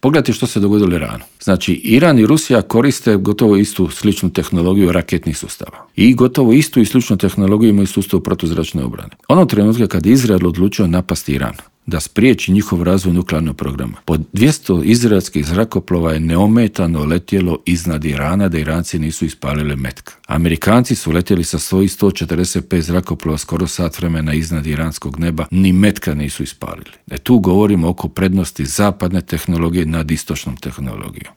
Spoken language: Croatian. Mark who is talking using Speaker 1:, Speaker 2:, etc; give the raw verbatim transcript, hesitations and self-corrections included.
Speaker 1: Pogledajte što se dogodilo Iranu. Znači, Iran i Rusija koriste gotovo istu sličnu tehnologiju raketnih sustava. I gotovo istu i sličnu tehnologiju imaju sustav protuzračne obrane. Onog trenutka kad Izrael odlučio napasti Iran, da spriječi njihov razvoj nuklearnog programa, po dvjesto izraelskih zrakoplova je neometano letjelo iznad Irana, da Iranci nisu ispalili metka. Amerikanci su letjeli sa svojih sto četrdeset pet zrakoplova skoro sat vremena iznad iranskog neba, ni metka nisu ispalili. E tu govorimo oko prednosti zapadne tehnologije nad istočnom tehnologijom.